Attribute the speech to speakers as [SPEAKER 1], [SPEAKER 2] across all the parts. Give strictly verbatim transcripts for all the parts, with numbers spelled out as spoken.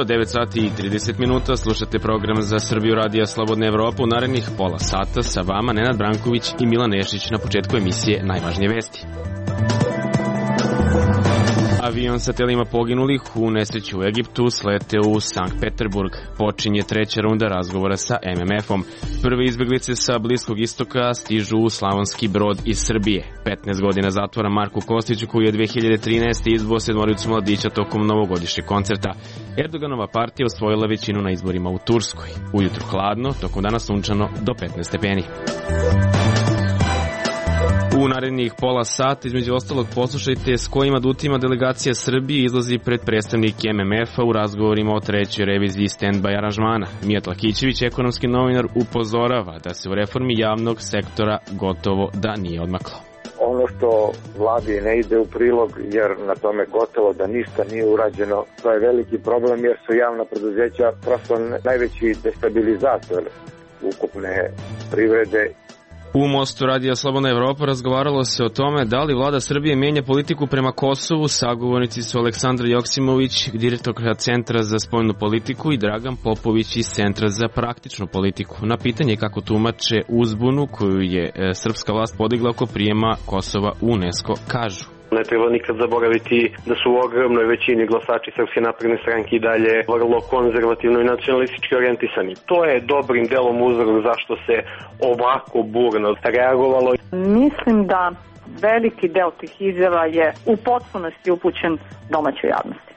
[SPEAKER 1] devet sati i trideset minuta, slušate program za Srbiju radija Slobodna Evropa. U narednih pola sata sa vama Nenad Branković i Milan Nešić. Na početku emisije najvažnije vesti. Avion sa telima poginulih u nesreći u Egiptu sleteo u Sankt Peterburg. Počinje treća runda razgovora sa em em efom. Prve izbeglice sa Bliskog istoka stižu u Slavonski Brod iz Srbije. petnaest godina zatvora Marku Kostiću, koji je dve hiljade trinaeste izbo sedmoricu mladića tokom novogodišnjeg koncerta. Erdoganova partija osvojila većinu na izborima u Turskoj. Ujutru hladno, tokom dana sunčano do petnaest stepeni. U narednih pola sata, između ostalog, poslušajte s kojim adutima delegacija Srbije izlazi pred predstavnike em em efa u razgovorima o trećoj reviziji stand-by aranžmana. Mijat Lakićević, ekonomski novinar, upozorava da se u reformi javnog sektora gotovo da nije odmaklo.
[SPEAKER 2] Ono što vladi ne ide u prilog, jer na tome gotovo da ništa nije urađeno, to je veliki problem, jer su javna preduzeća prosto najveći destabilizator ukupne privrede.
[SPEAKER 1] U Mostu radija Slobodna Evropa razgovaralo se o tome da li vlada Srbije menja politiku prema Kosovu. Sagovornici su Aleksandra Joksimović, direktorka Centra za spoljnu politiku, i Dragan Popović iz Centra za praktičnu politiku. Na pitanje kako tumače uzbunu koju je srpska vlast podigla oko prijema Kosova u UNESCO, kažu:
[SPEAKER 3] Ne treba nikad zaboraviti da su u ogromnoj većini glasači Srpske napredne stranke i dalje vrlo konzervativno i nacionalistički orijentisani. To je dobrim delom uzrok zašto se ovako burno reagovalo.
[SPEAKER 4] Mislim da veliki deo tih izjava je u potpunosti upućen domaćoj javnosti.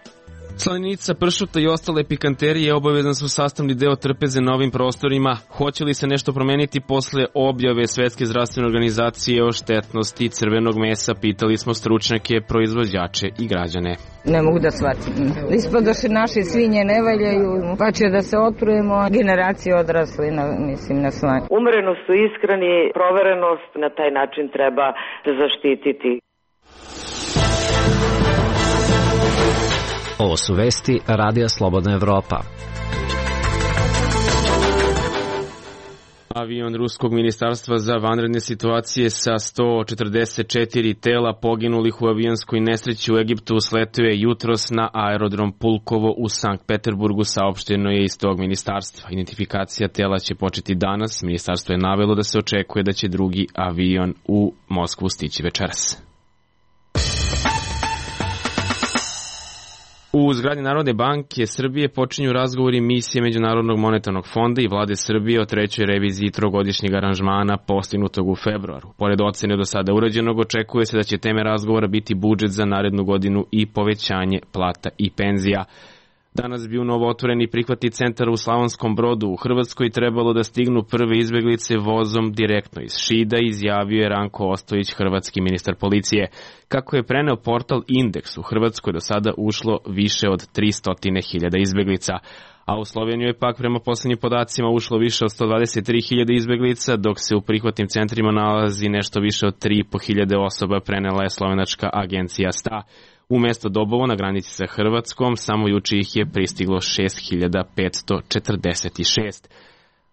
[SPEAKER 1] Slanica, pršuta i ostale pikanterije obavezan su sastavni deo trpeze na ovim prostorima. Hoće li se nešto promeniti posle objave Svetske zdravstvene organizacije o štetnosti crvenog mesa? Pitali smo stručnjake, proizvođače i građane.
[SPEAKER 5] Ne mogu da shvatim. Ispadoše naše svinje ne valjaju, pa će da se otrujemo. Generacije odrasli na, mislim, na slanju.
[SPEAKER 6] Umerenost su iskreni, proverenost, na taj način treba se zaštititi.
[SPEAKER 7] Ovo su vesti radija Slobodna Evropa.
[SPEAKER 1] Avion Ruskog ministarstva za vanredne situacije sa sto četrdeset četiri tela poginulih u avionskoj nesreći u Egiptu sletio je jutros na aerodrom Pulkovo u Sankt Peterburgu, saopšteno je iz tog ministarstva. Identifikacija tela će početi danas. Ministarstvo je navelo da se očekuje da će drugi avion u Moskvu stići večeras. U zgradi Narodne banke Srbije počinju razgovori misije Međunarodnog monetarnog fonda i vlade Srbije o trećoj reviziji trogodišnjeg aranžmana postignutog u februaru. Pored ocene do sada urađenog, očekuje se da će teme razgovora biti budžet za narednu godinu i povećanje plata i penzija. Danas bi u novootvoreni prihvatni centar u Slavonskom Brodu u Hrvatskoj trebalo da stignu prve izbeglice vozom direktno iz Šida, izjavio je Ranko Ostojić, hrvatski ministar policije. Kako je preneo portal Indeks, u Hrvatskoj do sada ušlo više od tristo hiljada izbeglica, a u Sloveniju je pak prema poslednjim podacima ušlo više od sto dvadeset tri hiljade izbeglica, dok se u prihvatnim centrima nalazi nešto više od tri i po hiljade osoba, prenela je slovenačka agencija S T A. U mesto Dobovo na granici sa Hrvatskom samo juče ih je pristiglo šest hiljada petsto četrdeset šest.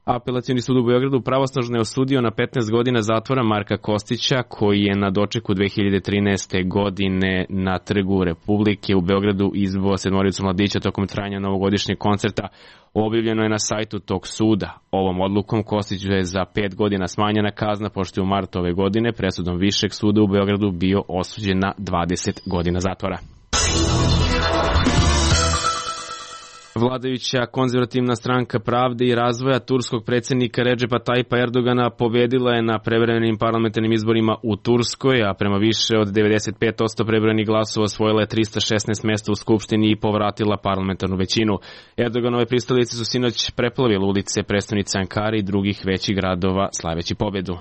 [SPEAKER 1] Apelacioni sud u Beogradu pravosnažno je osudio na petnaest godina zatvora Marka Kostića, koji je na dočeku dve hiljade trinaeste godine na Trgu Republike u Beogradu izbo sedmoricu mladića tokom trajanja novogodišnjeg koncerta. Objavljeno je na sajtu tog suda. Ovom odlukom Kostiću je za pet godina smanjena kazna, pošto je u martu ove godine presudom Višeg suda u Beogradu bio osuđen na dvadeset godina zatvora. Vladajuća konzervativna stranka Pravde i razvoja turskog predsjednika Redžepa Tajipa Erdogana pobedila je na prevremenim parlamentarnim izborima u Turskoj, a prema više od devedeset pet posto prebrojenih glasova osvojila je trista šesnaest mesta u Skupštini i povratila parlamentarnu većinu. Erdoganove pristalice su sinoć preplavile ulice prestonice Ankare i drugih većih gradova slaveći pobedu.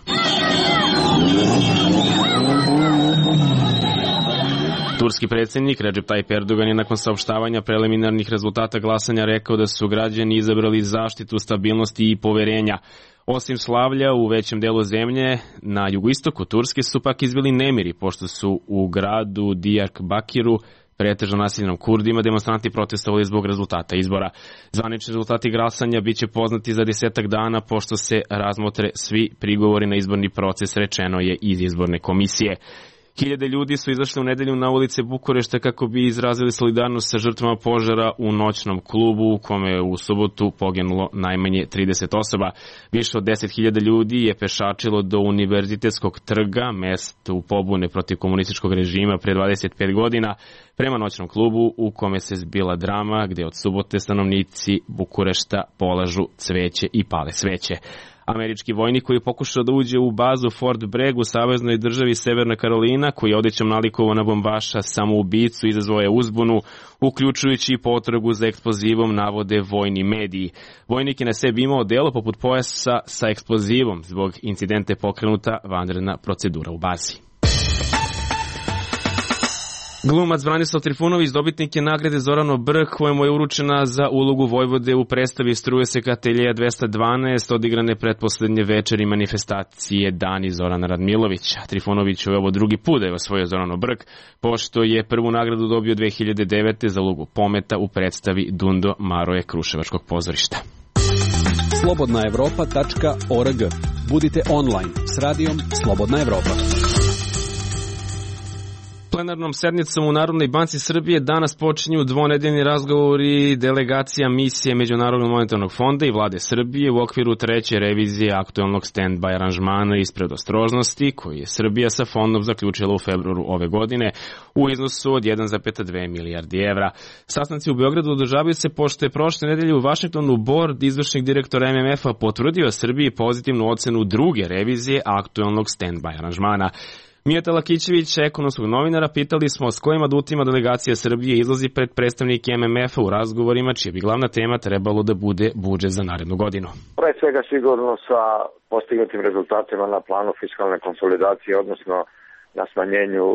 [SPEAKER 1] Turski predsjednik Recep Tayyip Erdogan je nakon saopštavanja preliminarnih rezultata glasanja rekao da su građani izabrali zaštitu stabilnosti i poverenja. Osim slavlja u većem delu zemlje, na jugoistoku Turske su pak izbili nemiri, pošto su u gradu Diyarbakıru pretežno naseljenom Kurdima, demonstranti protestovali zbog rezultata izbora. Zvanični rezultati glasanja biće poznati za desetak dana, pošto se razmotre svi prigovori na izborni proces, rečeno je iz izborne komisije. Hiljade ljudi su izašli u nedelju na ulice Bukurešta kako bi izrazili solidarnost sa žrtvama požara u noćnom klubu u kome je u subotu poginulo najmanje trideset osoba. Više od deset hiljada ljudi je pešačilo do Univerzitetskog trga, mestu pobune protiv komunističkog režima pre dvadeset pet godina, prema noćnom klubu u kome se zbila drama gde od subote stanovnici Bukurešta polažu cveće i pale sveće. Američki vojnik koji je pokušao da uđe u bazu Fort Bragg u saveznoj državi Severna Karolina, koji je odećom nalikovao na bombaša samoubicu, izazvao je uzbunu, uključujući i potragu za eksplozivom, navode vojni mediji. Vojnik je na sebi imao delo poput pojasa sa eksplozivom. Zbog incidenta je pokrenuta vanredna procedura u bazi. Glumac Branislav Trifunović dobitnik je nagrade Zorano Brh, kojemu je uručena za ulogu Vojvode u predstavi Struje se Ateljeja dvesta dvanaest, odigrane pretposlednje večeri manifestacije Dani Zorana Radmilovića. Trifunoviću je ovo drugi put da je osvojio Zorano Brh, pošto je prvu nagradu dobio dve hiljade devete. za ulogu Pometa u predstavi Dundo Maroje Kruševačkog pozorišta.
[SPEAKER 8] slobodna evropa tačka org. Budite online s radijom Slobodna Evropa.
[SPEAKER 1] Plenarnom sednicom u Narodnoj banci Srbije danas počinju dvonedeljni razgovori delegacija misije Međunarodnog monetarnog fonda i vlade Srbije u okviru treće revizije aktuelnog stand-by aranžmana iz predostrožnosti koji je Srbija sa fondom zaključila u februaru ove godine u iznosu od jedan zarez dve milijardi evra. Sastanci u Beogradu održavaju se pošto je prošle nedelje u Vašingtonu bord izvršnih direktora M M F-a potvrdio Srbiji pozitivnu ocenu druge revizije aktuelnog stand-by aranžmana. Mijata Lakićević, ekonomskog novinara, pitali smo s kojim adutima delegacija Srbije izlazi pred predstavnike M M F-a u razgovorima, čija bi glavna tema trebalo da bude budžet za narednu godinu.
[SPEAKER 2] Pre svega sigurno sa postignutim rezultatima na planu fiskalne konsolidacije, odnosno na smanjenju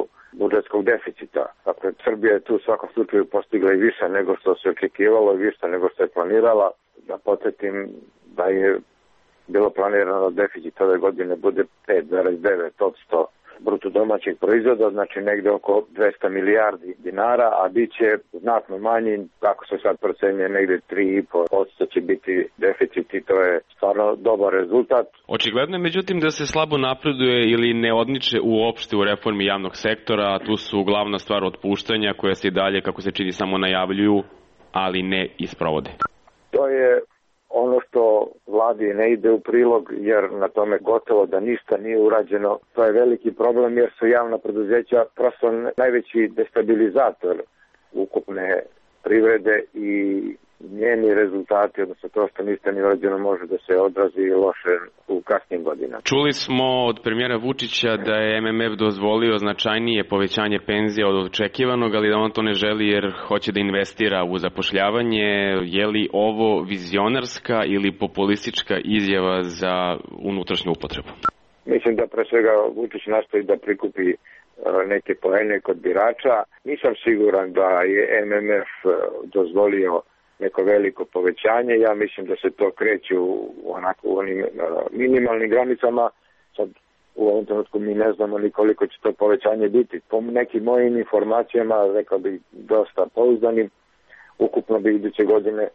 [SPEAKER 2] budžetskog deficita. Dakle, Srbija je tu u svakom slučaju postigla i više nego što se očekivalo i više nego što je planirala. Da podsjetim da je bilo planirano da deficit ove godine bude pet zarez devet posto bruto domaćeg proizvoda, znači negde oko dvesta milijardi dinara, a bit će znatno manji, kako se sad procenjuje, negde tri zarez pet posto će biti deficit i to je stvarno dobar rezultat.
[SPEAKER 1] Očigledno je međutim da se slabo napreduje ili ne odniče uopšte u reformi javnog sektora, a tu su glavna stvar otpuštanja koja se i dalje, kako se čini, samo najavljuju, ali ne isprovode.
[SPEAKER 2] To je ono što vladi ne ide u prilog, jer na tome gotovo da ništa nije urađeno. To je veliki problem jer su javna preduzeća prosto najveći destabilizator ukupne privrede i njeni rezultati, odnosno to što ništa nije urađeno, može da se odrazi loše u kasnim godinama.
[SPEAKER 1] Čuli smo od premijera Vučića da je M M F dozvolio značajnije povećanje penzija od očekivanog, ali da on to ne želi jer hoće da investira u zapošljavanje. Je li ovo vizionarska ili populistička izjava za unutrašnju upotrebu?
[SPEAKER 2] Mislim da pre svega Vučić nastoji da prikupi neke poene kod birača. Nisam siguran da je M M F dozvolio neko veliko povećanje. Ja mislim da se to kreće u onako u onim minimalnim granicama. Sad u ovom trenutku mi ne znamo ni koliko će to povećanje biti. Po nekim mojim informacijama, rekao bih dosta pouzdanim, ukupno bi iduće godine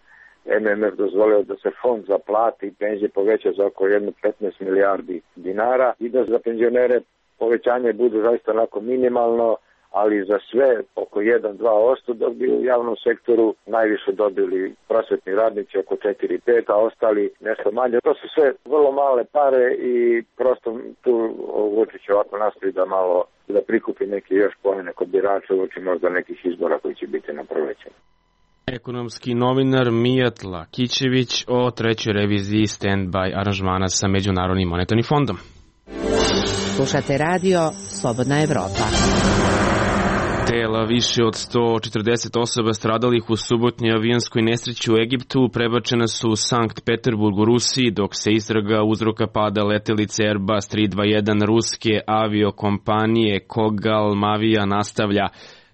[SPEAKER 2] M M F dozvolio da se fond za plate i penzije poveća za oko petnaest milijardi dinara i da za penzionere povećanje bude zaista onako minimalno, ali za sve oko jedan do dva posto, dok bi u javnom sektoru najviše dobili prosvetni radnici oko četiri do pet, a ostali nešto manje. To su sve vrlo male pare i prosto tu Vučić ovako nastoji da malo da prikupi neke još poene kod birača uoči možda nekih izbora koji će biti na proleće.
[SPEAKER 1] Ekonomski novinar Mijat Lakićević o trećoj reviziji stand-by aranžmana sa Međunarodnim monetarnim fondom.
[SPEAKER 9] Slušate radio Slobodna Evropa.
[SPEAKER 1] Tela više od sto četrdeset osoba stradalih u subotnjoj avionskoj nesreći u Egiptu prebačena su u Sankt Peterburg u Rusiji, dok se istraga uzroka pada letelice Airbus tri dvadeset jedan ruske aviokompanije Kogal Mavija nastavlja.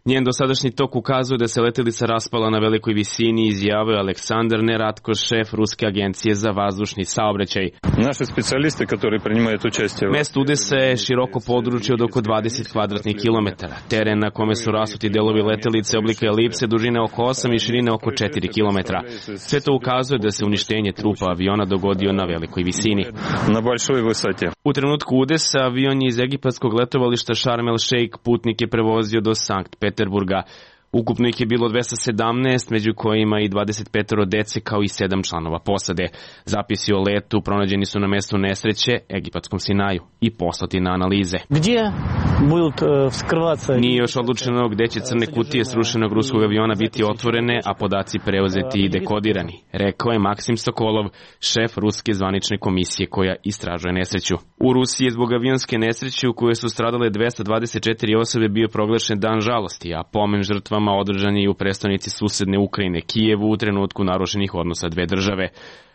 [SPEAKER 1] Njen dosadašnji tok ukazuje da se letelica raspala na velikoj visini, izjavio Aleksandar Neratko, šef Ruske agencije za vazdušni saobraćaj.
[SPEAKER 10] Naši specijalisti koji primaju učešće.
[SPEAKER 1] Mesto udesa je široko područje od oko dvadeset kvadratnih kilometara. Teren na kome su rasuti delovi letelice oblika elipse dužine oko osam i širine oko četiri kilometra. Sve to ukazuje da se uništenje trupa aviona dogodio na velikoj visini.
[SPEAKER 10] Na большой высоте.
[SPEAKER 1] U trenutku udesa avion je iz egipatskog letovališta Sharm el Sheikh putnike prevozio do Sankt Peterburga. Ukupno ih je bilo dvesta sedamnaest, među kojima i dvadeset petoro dece kao i sedam članova posade. Zapisi o letu pronađeni su na mestu nesreće, egipatskom Sinaju, i poslati na analize.
[SPEAKER 11] Gdje budut vskrvaca?
[SPEAKER 1] Nije još odlučeno gde će crne kutije srušenog ruskog aviona biti otvorene, a podaci preuzeti i dekodirani, rekao je Maksim Sokolov, šef ruske zvanične komisije koja istražuje nesreću. U Rusiji je zbog avionske nesreće u kojoj su stradale dvesta dvadeset četiri osobe bio proglašen dan žalosti, a pomen žrtvama održan je i u prestonici susedne Ukrajine, Kijevu, u trenutku narušenih odnosa dve države.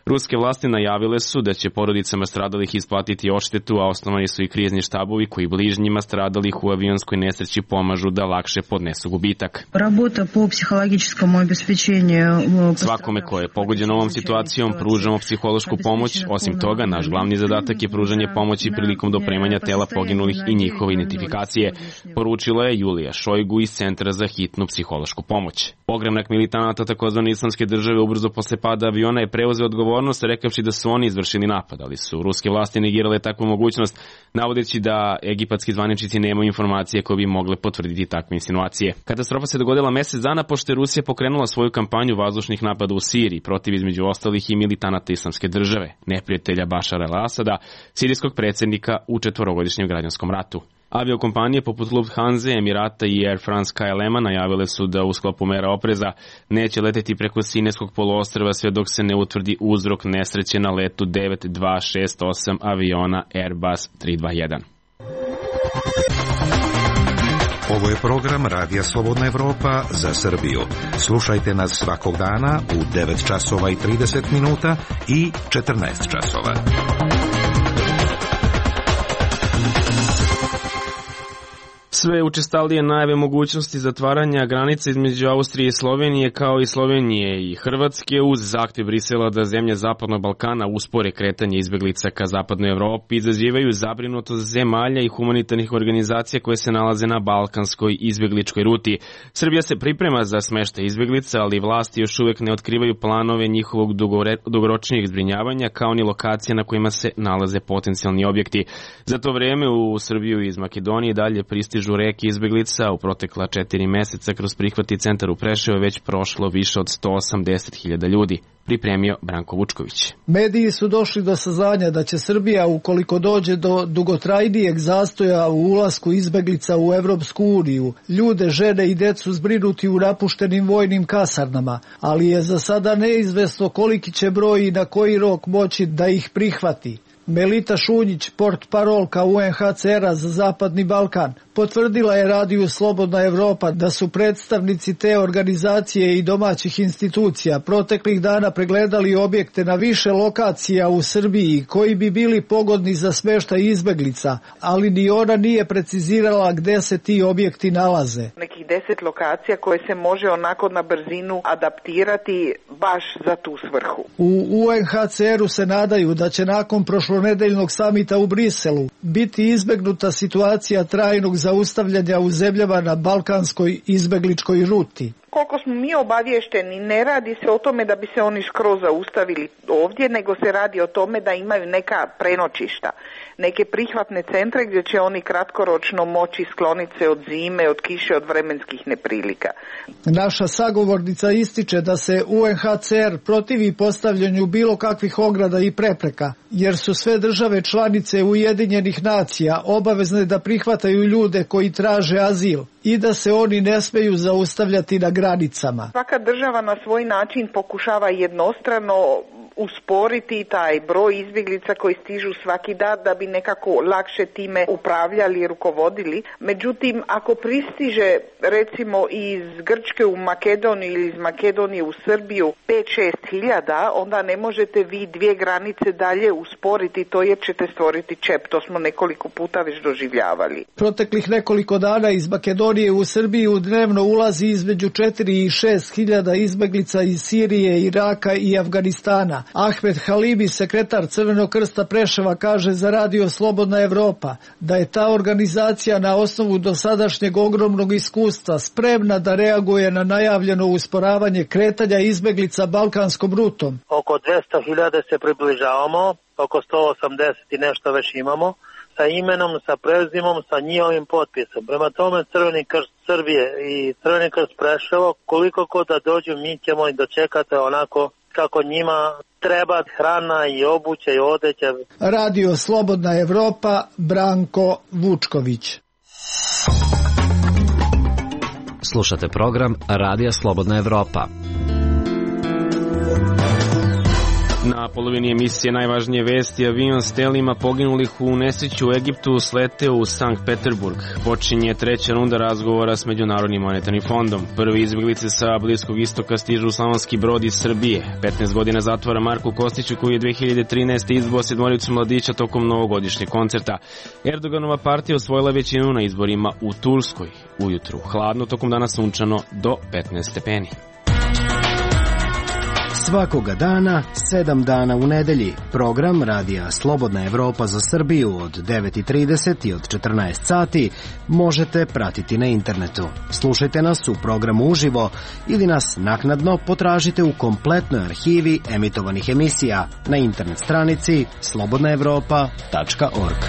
[SPEAKER 1] Ruske vlasti najavile su da će porodicama stradalih isplatiti odštetu, a osnovani su i krizni štabovi koji bližnjima stradalih u avionskoj nesreći pomažu da lakše podnesu gubitak. Svakome ko je pogođen ovom situacijom pružamo psihološku pomoć. Osim toga, naš glavni zadatak je pružanje pomoći prilikom dopremanja tela poginulih i njihove identifikacije, poručila je Julija Šojgu iz Centra za hitnu psihološku pomoć. Pogrebnik militanata takozvane islamske države ubrzo posle pada aviona je preuzeo odgovornost, rekavši da su oni izvršili napad, ali su ruske vlasti negirale takvu mogućnost, navodeći da egipatski zvaničnici nemaju informacije koje bi mogle potvrditi takve insinuacije. Katastrofa se dogodila mesec dana pošto je Rusija pokrenula svoju kampanju vazdušnih napada u Siriji protiv između ostalih i militanata islamske države, neprijatelja Bašara el-Asada, sirijskog predsjednika u četvorogodišnjem građanskom ratu. Aviokompanije poput Lufthansa, Emirata i Air France K L M-a najavile su da u sklopu mera opreza neće leteti preko Sinajskog poluostrva sve dok se ne utvrdi uzrok nesreće na letu devet dva šest osam aviona Airbus tri dva jedan.
[SPEAKER 12] Ovo je program Radija Slobodna Evropa za Srbiju. Slušajte nas svakog dana u devet časova i trideset minuta i četrnaest časova.
[SPEAKER 1] Sve učestalije najave mogućnosti zatvaranja granica između Austrije i Slovenije kao i Slovenije i Hrvatske uz zahtjev Brisela da zemlje Zapadnog Balkana uspore kretanje izbeglica ka Zapadnoj Evropi izazivaju zabrinutost zemalja i humanitarnih organizacija koje se nalaze na balkanskoj izbegličkoj ruti. Srbija se priprema za smeštaj izbeglica, ali vlasti još uvek ne otkrivaju planove njihovog dugoročnijeg zbrinjavanja kao ni lokacije na kojima se nalaze potencijalni objekti. Za to vreme u Srbiju iz Makedonije dalje pristižu reke izbeglica. U protekla četiri meseca kroz prihvatni centar u Preševu je već prošlo više od sto osamdeset hiljada ljudi, pripremio Branko Vučković.
[SPEAKER 13] Mediji su došli do saznanja da će Srbija, ukoliko dođe do dugotrajnijeg zastoja u ulasku izbeglica u Evropsku uniju, ljude, žene i decu zbrinuti u napuštenim vojnim kasarnama, ali je za sada neizvesno koliki će broj i na koji rok moći da ih prihvati. Melita Šunjić, portparolka U N H C R-a za Zapadni Balkan, potvrdila je Radiju Slobodna Evropa da su predstavnici te organizacije i domaćih institucija proteklih dana pregledali objekte na više lokacija u Srbiji koji bi bili pogodni za smeštaj izbeglica, ali ni ona nije precizirala gde se ti objekti nalaze.
[SPEAKER 14] Nekih deset lokacija koje se može onako na brzinu adaptirati baš za tu svrhu.
[SPEAKER 13] U U N H C R-u se nadaju da će nakon prošlonedeljnog samita u Briselu biti izbegnuta situacija trajnog zaustavljanja u zemljama na balkanskoj izbegličkoj ruti.
[SPEAKER 14] Koliko smo mi obavješteni, ne radi se o tome da bi se oni skroz zaustavili ovdje, nego se radi o tome da imaju neka prenoćišta, neke prihvatne centre gdje će oni kratkoročno moći skloniti se od zime, od kiše, od vremenskih neprilika.
[SPEAKER 13] Naša sagovornica ističe da se U N H C R protivi postavljanju bilo kakvih ograda i prepreka, jer su sve države članice Ujedinjenih nacija obavezne da prihvataju ljude koji traže azil i da se oni ne smeju zaustavljati na granicama.
[SPEAKER 14] Svaka država na svoj način pokušava jednostrano usporiti taj broj izbjeglica koji stižu svaki dan da bi nekako lakše time upravljali i rukovodili. Međutim, ako pristiže recimo iz Grčke u Makedoniju ili iz Makedonije u Srbiju pet šest hiljada, onda ne možete vi dvije granice dalje usporiti to jer ćete stvoriti čep. To smo nekoliko puta već doživljavali.
[SPEAKER 13] Proteklih nekoliko dana iz Makedonije u Srbiju dnevno ulazi između četiri i šest hiljada izbeglica iz Sirije, Iraka i Afganistana. Ahmed Halibi, sekretar Crvenog krsta Preševa, kaže za Radio Slobodna Evropa da je ta organizacija na osnovu dosadašnjeg ogromnog iskustva spremna da reaguje na najavljeno usporavanje kretanja izbeglica balkanskom rutom.
[SPEAKER 15] Oko dvesta hiljada se približavamo, oko sto osamdeset i nešto već imamo, sa imenom, sa prezimom, sa njihovim potpisom. Prema tome Crveni krst Srbije i Crveni krst Preševo, koliko god da dođu, mi ćemo i dočekati onako kako njima treba, hrana i obuća i odeća.
[SPEAKER 13] Radio Slobodna Evropa, Branko Vučković.
[SPEAKER 7] Slušate program Radija Slobodna Evropa.
[SPEAKER 1] Na polovini emisije najvažnije vesti: avion s telima poginulih u nesreću u Egiptu sleteo u Sankt Peterburg. Počinje treća runda razgovora s Međunarodnim monetarnim fondom. Prvi izbjeglice sa Bliskog istoka stižu u Slavonski Brod iz Srbije. petnaest godina zatvora Marku Kostiću, koji je dve hiljade trinaeste. izbao sedmoricu mladića tokom novogodišnjeg koncerta. Erdoganova partija osvojila većinu na izborima u Turskoj. Ujutru hladno, tokom dana sunčano do petnaest stepeni.
[SPEAKER 16] Svakoga dana, sedam dana u nedelji. Program Radija Slobodna Evropa za Srbiju od devet i trideset i od četrnaest sati možete pratiti na internetu. Slušajte nas u programu uživo ili nas naknadno potražite u kompletnoj arhivi emitovanih emisija na internet stranici slobodna evropa tačka org.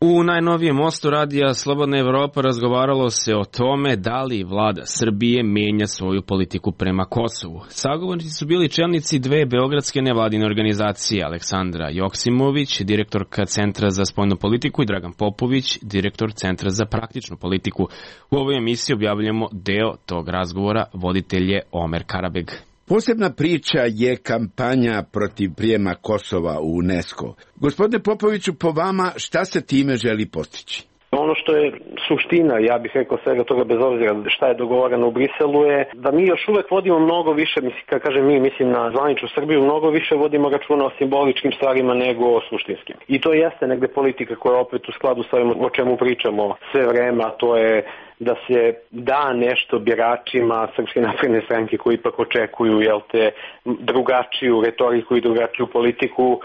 [SPEAKER 1] U najnovijem mostu Radija Slobodna Evropa razgovaralo se o tome da li vlada Srbije menja svoju politiku prema Kosovu. Sagovornici su bili čelnici dve beogradske nevladine organizacije: Aleksandra Joksimović, direktorka Centra za spoljnu politiku, i Dragan Popović, direktor Centra za praktičnu politiku. U ovoj emisiji objavljamo deo tog razgovora, voditelj je Omer Karabeg.
[SPEAKER 17] Posebna priča je kampanja protiv prijema Kosova u UNESCO. Gospodine Popoviću, po vama šta se time želi postići?
[SPEAKER 3] Ono što je suština, ja bih rekao svega toga, bez obzira šta je dogovoreno u Briselu, je da mi još uvek vodimo mnogo više, mislim, kad kažem mi, mislim na zvaničnu Srbiju, mnogo više vodimo računa o simboličkim stvarima nego o suštinskim. I to jeste negde politika koja je opet u skladu sa ovim o čemu pričamo sve vreme, a to je da se da nešto biračima Srpske napredne stranke koji ipak očekuju, jel te, drugačiju retoriku i drugačiju politiku.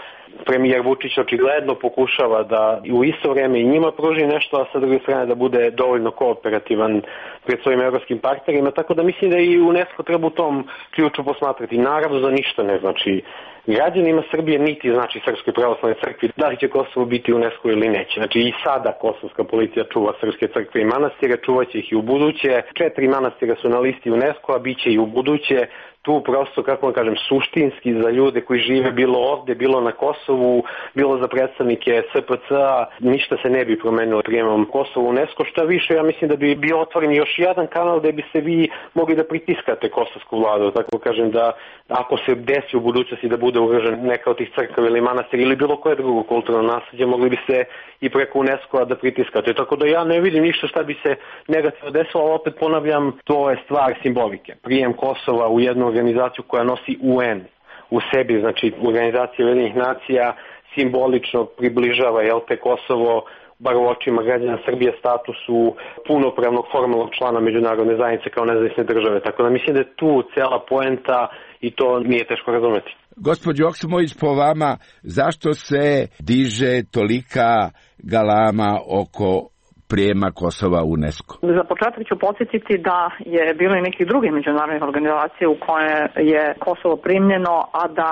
[SPEAKER 3] Premijer Vučić očigledno pokušava da u isto vreme i njima pruži nešto, a sa druge strane da bude dovoljno kooperativan pred svojim evropskim partnerima, tako da mislim da i UNESCO treba u tom ključu posmatrati. Naravno za ništa ne znači građanima Srbije, niti znači Srpskoj pravoslavnoj crkvi da li će Kosovo biti u UNESCO ili neće. Znači i sada kosovska policija čuva srpske crkve i manastire, čuvaće ih i u buduće. Četiri manastira su na listi UNESCO-a, bit će i u buduće. Tu prosto, kako vam kažem, suštinski za ljude koji žive bilo ovde, bilo na Kosovu, bilo za predstavnike S P C-a, ništa se ne bi promenilo prijemom Kosovo u UNESCO. Šta više, ja mislim da bi bio otvoren još jedan kanal gde bi se vi mogli da pritiskate kosovsku vladu. Tako kažem da ako se desi u budućnosti da bude ugrožen neka od tih crkava ili manastira ili bilo koje drugo kulturno nasleđe, mogli bi se i preko UNESCO-a da pritiskate. Tako da ja ne vidim ništa šta bi se negativno desilo, ali opet ponavljam, to je stvar simbolike. Prijem Kosova u jednu organizaciju koja nosi U N u sebi, znači organizacija Ujedinjenih nacija, simbolično približava, jel te, Kosovo, bar u očima građana Srbije, statusu punopravnog formalnog člana međunarodne zajednice kao nezavisne države. Tako da mislim da je tu cela poenta i to nije teško razumeti.
[SPEAKER 17] Gospođo Joksimović, po vama, zašto se diže tolika galama oko prijema Kosova u UNESCO?
[SPEAKER 4] Za početak ću podsjetiti da je bilo i nekih drugih međunarodnih organizacija u koje je Kosovo primljeno, a da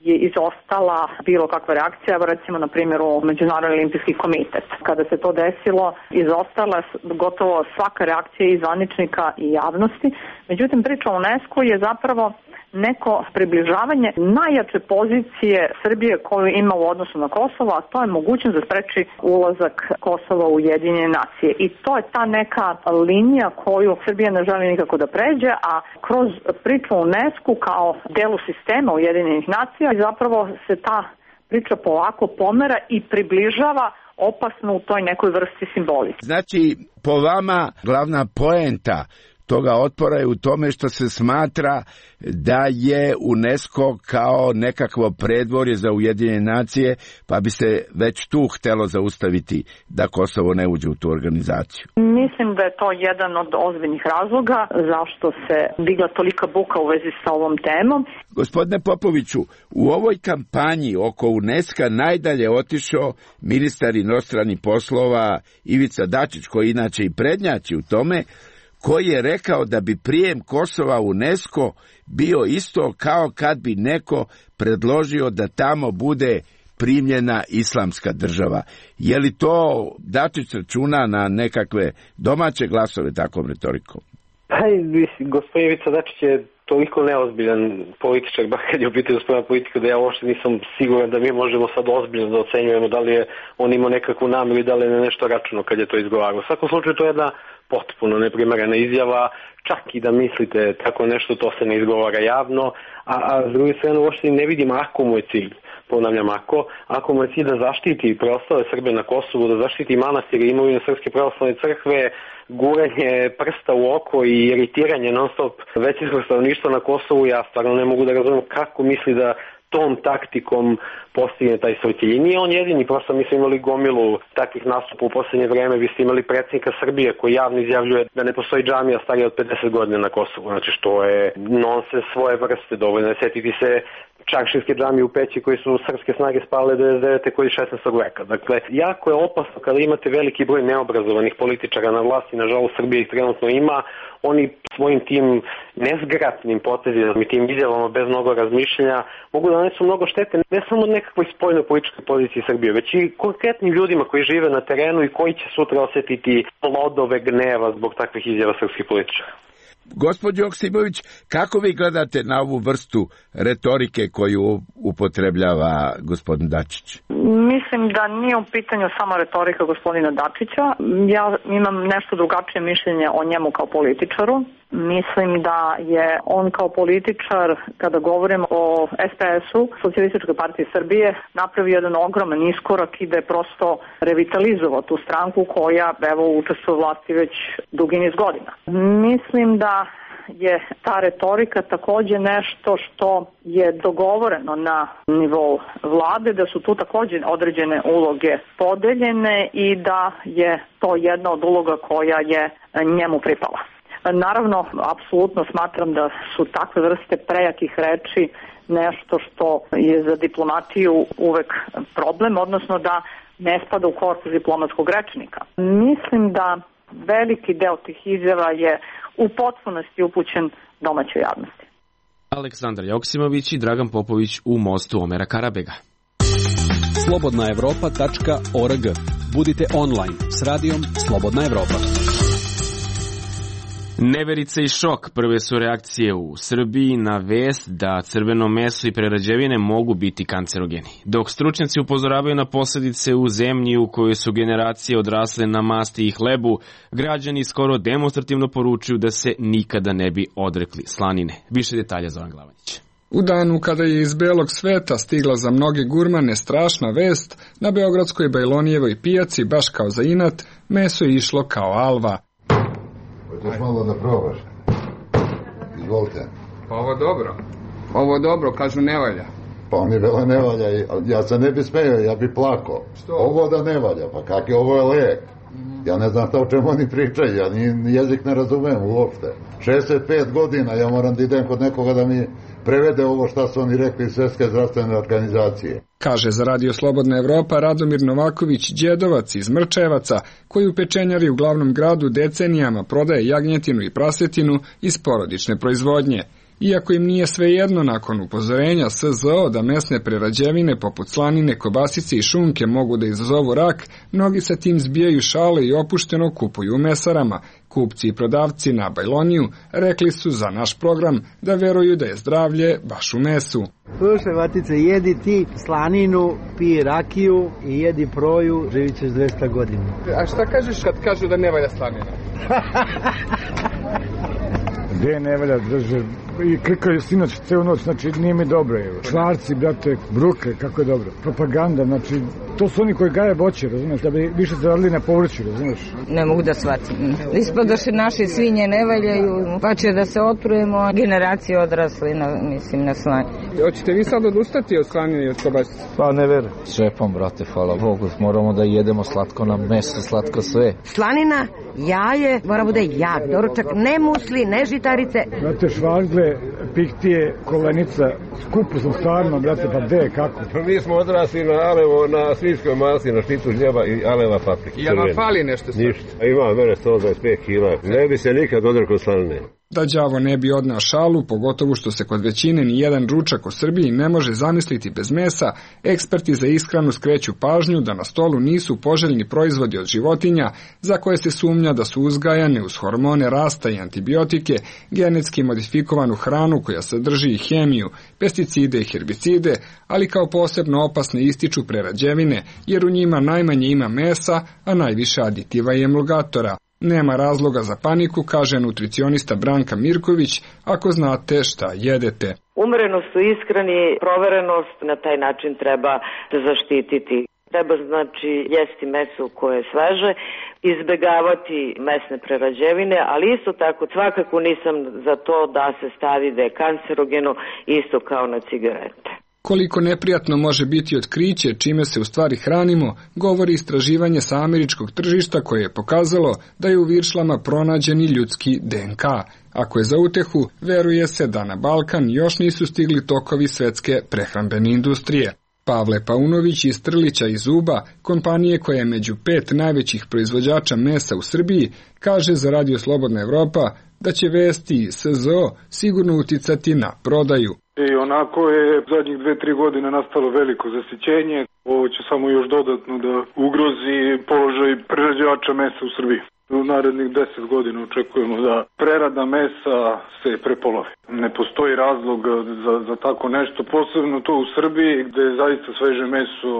[SPEAKER 4] je izostala bilo kakva reakcija, recimo na primjeru Međunarodni olimpijski komitet. Kada se to desilo, izostala gotovo svaka reakcija i zvaničnika i javnosti. Međutim, priča o UNESCO je zapravo neko približavanje najjače pozicije Srbije koju ima u odnosu na Kosovo, a to je mogućnost da spreči ulazak Kosova u Ujedinjene nacije. I to je ta neka linija koju Srbija ne želi nikako da pređe, a kroz priču o UNESCO kao delu sistema Ujedinjenih nacija zapravo se ta priča polako pomera i približava opasno u toj nekoj vrsti simbolike.
[SPEAKER 17] Znači, po vama glavna poenta toga otpora je u tome što se smatra da je UNESCO kao nekakvo predvorje za Ujedinjene nacije, pa bi se već tu htelo zaustaviti da Kosovo ne uđe u tu organizaciju.
[SPEAKER 4] Mislim da je to jedan od ozbiljnih razloga zašto se digla tolika buka u vezi sa ovom temom.
[SPEAKER 17] Gospodine Popoviću, u ovoj kampanji oko UNESCO najdalje otišao ministar inostranih poslova Ivica Dačić, koji inače i prednjači u tome, koji je rekao da bi prijem Kosova u UNESCO bio isto kao kad bi neko predložio da tamo bude primljena islamska država. Je li to Dačić računa na nekakve domaće glasove takvom retorikom?
[SPEAKER 3] Pa, gospodin Ivica Dačić je toliko neozbiljan političar, bar kad je u pitanju spoljna politika, da ja uopšte nisam siguran da mi možemo sad ozbiljno da ocenjujemo da li je on imao nekakvu namjeru i da li je nešto računao kad je to izgovarao. U svakom slučaju to je jedna potpuno neprimerena izjava, čak i da mislite tako nešto, to se ne izgovara javno, a, a s druge strane uopšte ne vidim ako mu je cilj, ponavljam ako, ako mu je cilj da zaštiti preostale Srbe na Kosovu, da zaštiti manastire, imovinu Srpske pravoslavne crkve, guranje prsta u oko i iritiranje non stop većinskog stanovništva na Kosovu, ja stvarno ne mogu da razumijem kako misli da tom taktikom postigne taj svoj cilj. I nije on jedini, prosto mi smo imali gomilu takvih nastupa u poslednje vreme, vi ste imali predsjednika Srbije koji javno izjavljuje da ne postoji džamija starija od pedeset godina na Kosovu, znači što je nonsens svoje vrste, dovoljno je setiti se Čaršinske džamije u Peći koji su srpske snage spale devedeset devete koji šesnaestog veka. Dakle, jako je opasno kada imate veliki broj neobrazovanih političara na vlasti, nažalost Srbija ih trenutno ima, oni svojim tim nezgratnim potezima i tim izjavama bez mnogo razmišljanja mogu da nanesu mnogo štete ne samo od nekakvoj spoljnoj političkoj poziciji Srbije, već i konkretnim ljudima koji žive na terenu i koji će sutra osetiti plodove gneva zbog takvih izjava srpskih političara.
[SPEAKER 17] Gospođo Joksimović, kako vi gledate na ovu vrstu retorike koju upotrebljava gospodin Dačić?
[SPEAKER 4] Mislim da nije u pitanju samo retorika gospodina Dačića. Ja imam nešto drugačije mišljenje o njemu kao političaru. Mislim da je on kao političar, kada govorim o es pe es-u, Socijalističkoj partiji Srbije, napravio jedan ogroman iskorak i da je prosto revitalizovao tu stranku koja, evo, učestvuje u vlasti već dugi niz godina. Mislim da je ta retorika takođe nešto što je dogovoreno na nivou vlade, da su tu takođe određene uloge podeljene i da je to jedna od uloga koja je njemu pripala. Naravno, apsolutno smatram da su takve vrste prejakih reči nešto što je za diplomatiju uvek problem, odnosno da ne spada u korpus diplomatskog rečnika. Mislim da veliki deo tih izjava je u potpunosti upućen domaćoj javnosti.
[SPEAKER 1] Aleksandar Joksimović i Dragan Popović u mostu Omera Karabega.
[SPEAKER 8] slobodna evropa tačka org. Budite online s radijom Slobodna Evropa.
[SPEAKER 1] Neverica i šok prve su reakcije u Srbiji na vest da crveno meso i prerađevine mogu biti kancerogeni. Dok stručnjaci upozoravaju na posljedice u zemlji u kojoj su generacije odrasle na masti i hlebu, građani skoro demonstrativno poručuju da se nikada ne bi odrekli slanine. Više detalja za Zoran Glavanić.
[SPEAKER 18] U danu kada je iz belog sveta stigla za mnoge gurmane strašna vest, na beogradskoj Bajlonijevoj pijaci, baš kao za inat, meso je išlo kao alva.
[SPEAKER 19] Hoćeš malo da probaš? Izvolite.
[SPEAKER 18] Pa ovo dobro. Ovo dobro, kažu ne valja.
[SPEAKER 19] Pa oni vele ne valja, ja se ne bi smeo, ja bi plako.
[SPEAKER 18] Što?
[SPEAKER 19] Ovo da ne valja, pa kak je, ovo je lijek. Mm-hmm. Ja ne znam šta o čemu oni pričaju, ja ni jezik ne razumem uopšte. šezdeset pet godina ja moram da idem kod nekoga da mi prevede ovo šta su oni rekli iz Svjetske zdravstvene organizacije.
[SPEAKER 18] Kaže za Radio Slobodna Evropa Radomir Novaković Đedovac iz Mrčevaca, koji u pečenjari u glavnom gradu decenijama prodaje jagnjetinu i prasetinu iz porodične proizvodnje. Iako im nije svejedno nakon upozorenja S Z O da mesne prerađevine poput slanine, kobasice i šunke mogu da izazovu rak, mnogi sa tim zbijaju šale i opušteno kupuju u mesarama. Kupci i prodavci na Bajloniju rekli su za naš program da veruju da je zdravlje baš u mesu.
[SPEAKER 20] Slušaj, Matice, jedi ti slaninu, pij rakiju i jedi proju, živit ćeš dvesta godina.
[SPEAKER 18] A šta kažeš kad kažu da ne valja slanina?
[SPEAKER 21] Gde ne valja, drže, i klikaju sinoć celu noć, znači nije mi dobro. Švarci, brate, bruke, kako je dobro. Propaganda, znači, to su oni koji gaje voće, razumiješ, da bi više zaradili na povrću, razumiješ.
[SPEAKER 5] Ne mogu da shvatim. Ispadoše naše svinje ne valjaju, pa će da se otrujemo, generacije odrasli, na, mislim, na slanje.
[SPEAKER 18] Hoćete vi sad odustati od slanine i od kobasice?
[SPEAKER 21] Pa ne verujem.
[SPEAKER 22] Šepom, brate, hvala Bogu, moramo da jedemo slatko na meso, slatko sve.
[SPEAKER 23] Slanina, jaje, mora bude jak doručak, ne musli, ne žitarice.
[SPEAKER 21] Brate, švargle, pihtije, kolenica, skupo sam stvarno, brate, pa gde, kako?
[SPEAKER 24] Mi smo odrasli na alevo, na svinjskoj masi, na štitu žljeba i aleva paprike.
[SPEAKER 18] I vam fali nešto sad?
[SPEAKER 24] Ništa. Ima mene sto dvadeset pet kila. Ne bi se nikad odrekao slanine.
[SPEAKER 18] Da đavo ne bi odneo šalu, pogotovo što se kod većine ni jedan ručak u Srbiji ne može zamisliti bez mesa, eksperti za ishranu skreću pažnju da na stolu nisu poželjni proizvodi od životinja za koje se sumnja da su uzgajane uz hormone rasta i antibiotike, genetski modifikovanu hranu koja sadrži i hemiju, pesticide i herbicide, ali kao posebno opasne ističu prerađevine, jer u njima najmanje ima mesa, a najviše aditiva i emulgatora. Nema razloga za paniku, kaže nutricionista Branka Mirković, ako znate šta jedete.
[SPEAKER 6] Umerenost u ishrani, proverenost na taj način treba da zaštititi. Treba znači jesti meso koje je sveže, izbegavati mesne prerađevine, ali isto tako svakako nisam za to da se stavi da je kancerogeno isto kao na cigarete.
[SPEAKER 18] Koliko neprijatno može biti otkriće čime se u stvari hranimo, govori istraživanje sa američkog tržišta koje je pokazalo da je u viršlama pronađeni ljudski D N K. Ako je za utehu, veruje se da na Balkan još nisu stigli tokovi svetske prehrambene industrije. Pavle Paunović iz Trlića iz Uba, kompanije koja je među pet najvećih proizvođača mesa u Srbiji, kaže za Radio Slobodna Evropa da će vesti S Z O sigurno uticati na prodaju.
[SPEAKER 25] I onako je zadnjih dve, tri godine nastalo veliko zasićenje. Ovo će samo još dodatno da ugrozi položaj prerađivača mesa u Srbiji. U narednih deset godina očekujemo da prerada mesa se prepolovi. Ne postoji razlog za, za tako nešto, posebno to u Srbiji gde je zaista sveže meso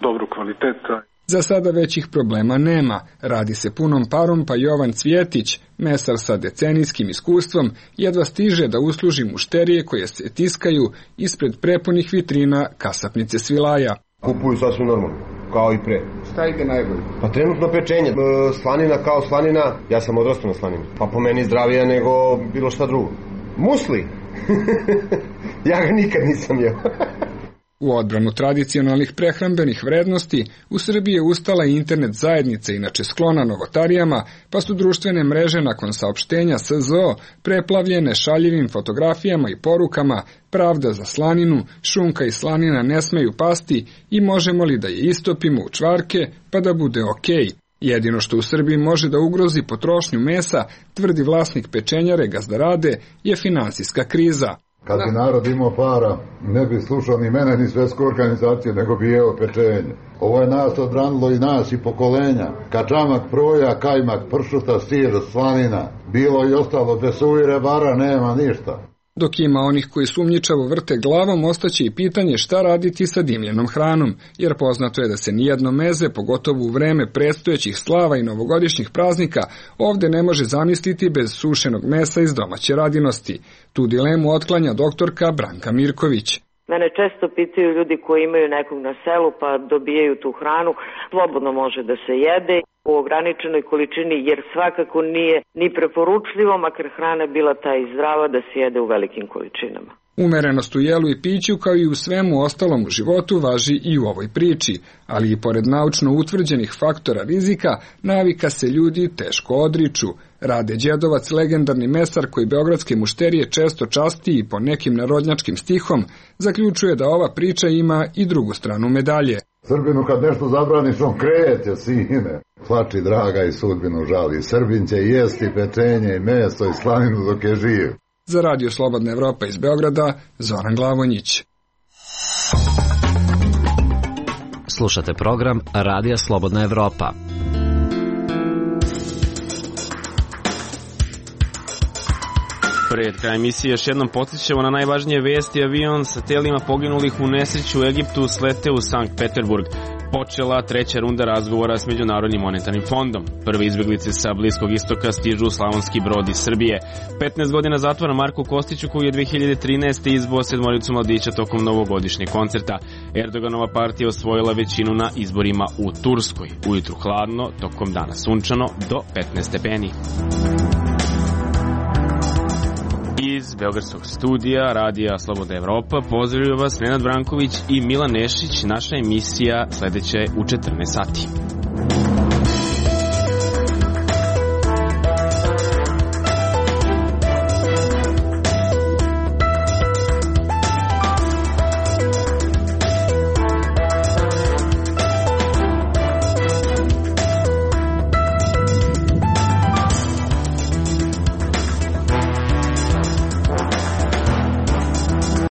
[SPEAKER 25] dobrog kvaliteta.
[SPEAKER 18] Za sada većih problema nema. Radi se punom parom, pa Jovan Cvjetić, mesar sa decenijskim iskustvom, jedva stiže da usluži mušterije koje se tiskaju ispred prepunih vitrina kasapnice Svilaja.
[SPEAKER 26] Kupuju sasvim normalno, kao i pre.
[SPEAKER 18] Šta ide najbolje?
[SPEAKER 26] Pa trenutno pečenje. Slanina kao slanina, ja sam odrastao na slanini. Pa po meni zdravija nego bilo šta drugo. Musli! Ja ga nikad nisam jeo.
[SPEAKER 18] U odbranu tradicionalnih prehrambenih vrednosti, u Srbiji je ustala i internet zajednica, inače sklona novotarijama, pa su društvene mreže nakon saopštenja S Z O preplavljene šaljivim fotografijama i porukama, pravda za slaninu, šunka i slanina ne smeju pasti i možemo li da je istopimo u čvarke pa da bude okej. Jedino što u Srbiji može da ugrozi potrošnju mesa, tvrdi vlasnik pečenjare Gazdarade, je finansijska kriza.
[SPEAKER 19] Kad bi narod imao para, ne bi slušao ni mene, ni svetsku organizaciju, nego bi jeo pečenje. Ovo je nas odbranilo i nas i pokolenja. Kačamak, proja, kajmak, pršuta, sir, slanina, bilo i ostalo, bez suvire bara nema ništa.
[SPEAKER 18] Dok ima onih koji sumnjičavo vrte glavom, ostaće i pitanje šta raditi sa dimljenom hranom, jer poznato je da se nijedno meze, pogotovo u vreme predstojećih slava i novogodišnjih praznika, ovde ne može zamisliti bez sušenog mesa iz domaće radinosti. Tu dilemu otklanja doktorka Branka Mirković.
[SPEAKER 6] Mene često pitaju ljudi koji imaju nekog na selu pa dobijaju tu hranu, slobodno može da se jede u ograničenoj količini jer svakako nije ni preporučljivo, makar hrana bila ta i zdrava, da se jede u velikim količinama.
[SPEAKER 18] Umerenost u jelu i piću kao i u svemu ostalom u životu važi i u ovoj priči, ali i pored naučno utvrđenih faktora rizika, navika se ljudi teško odriču. Rade Đedovac, legendarni mesar koji beogradske mušterije često časti i po nekim narodnjačkim stihom, zaključuje da ova priča ima i drugu stranu medalje.
[SPEAKER 19] Srbinu kad nešto zabraniš, on kreće, sine. Plači draga i sudbinu žali. Srbin će jesti pečenje i meso i slaninu dok je živ.
[SPEAKER 18] Za Radio Slobodna Evropa iz Beograda, Zoran Glavonjić.
[SPEAKER 7] Slušate program Radija Slobodna Evropa.
[SPEAKER 1] Pred kraj emisije još jednom podsjećamo na najvažnije vesti. Avion sa telima poginulih u nesreću u Egiptu slete u Sankt Peterburg. Počela treća runda razgovora s Međunarodnim monetarnim fondom. Prve izbeglice sa Bliskog istoka stižu u Slavonski Brod iz Srbije. petnaest godina zatvora Marku Kostiću, koji je dve hiljade trinaeste izbao sedmoricu mladića tokom novogodišnjeg koncerta. Erdoganova partija osvojila većinu na izborima u Turskoj. Ujutru hladno, tokom dana sunčano do petnaest stepeni. Iz beogradskog studija Radija Slobodna Evropa pozdravljaju vas Nenad Branković i Milan Nešić. Naša emisija sledeća je u četrnaest sati.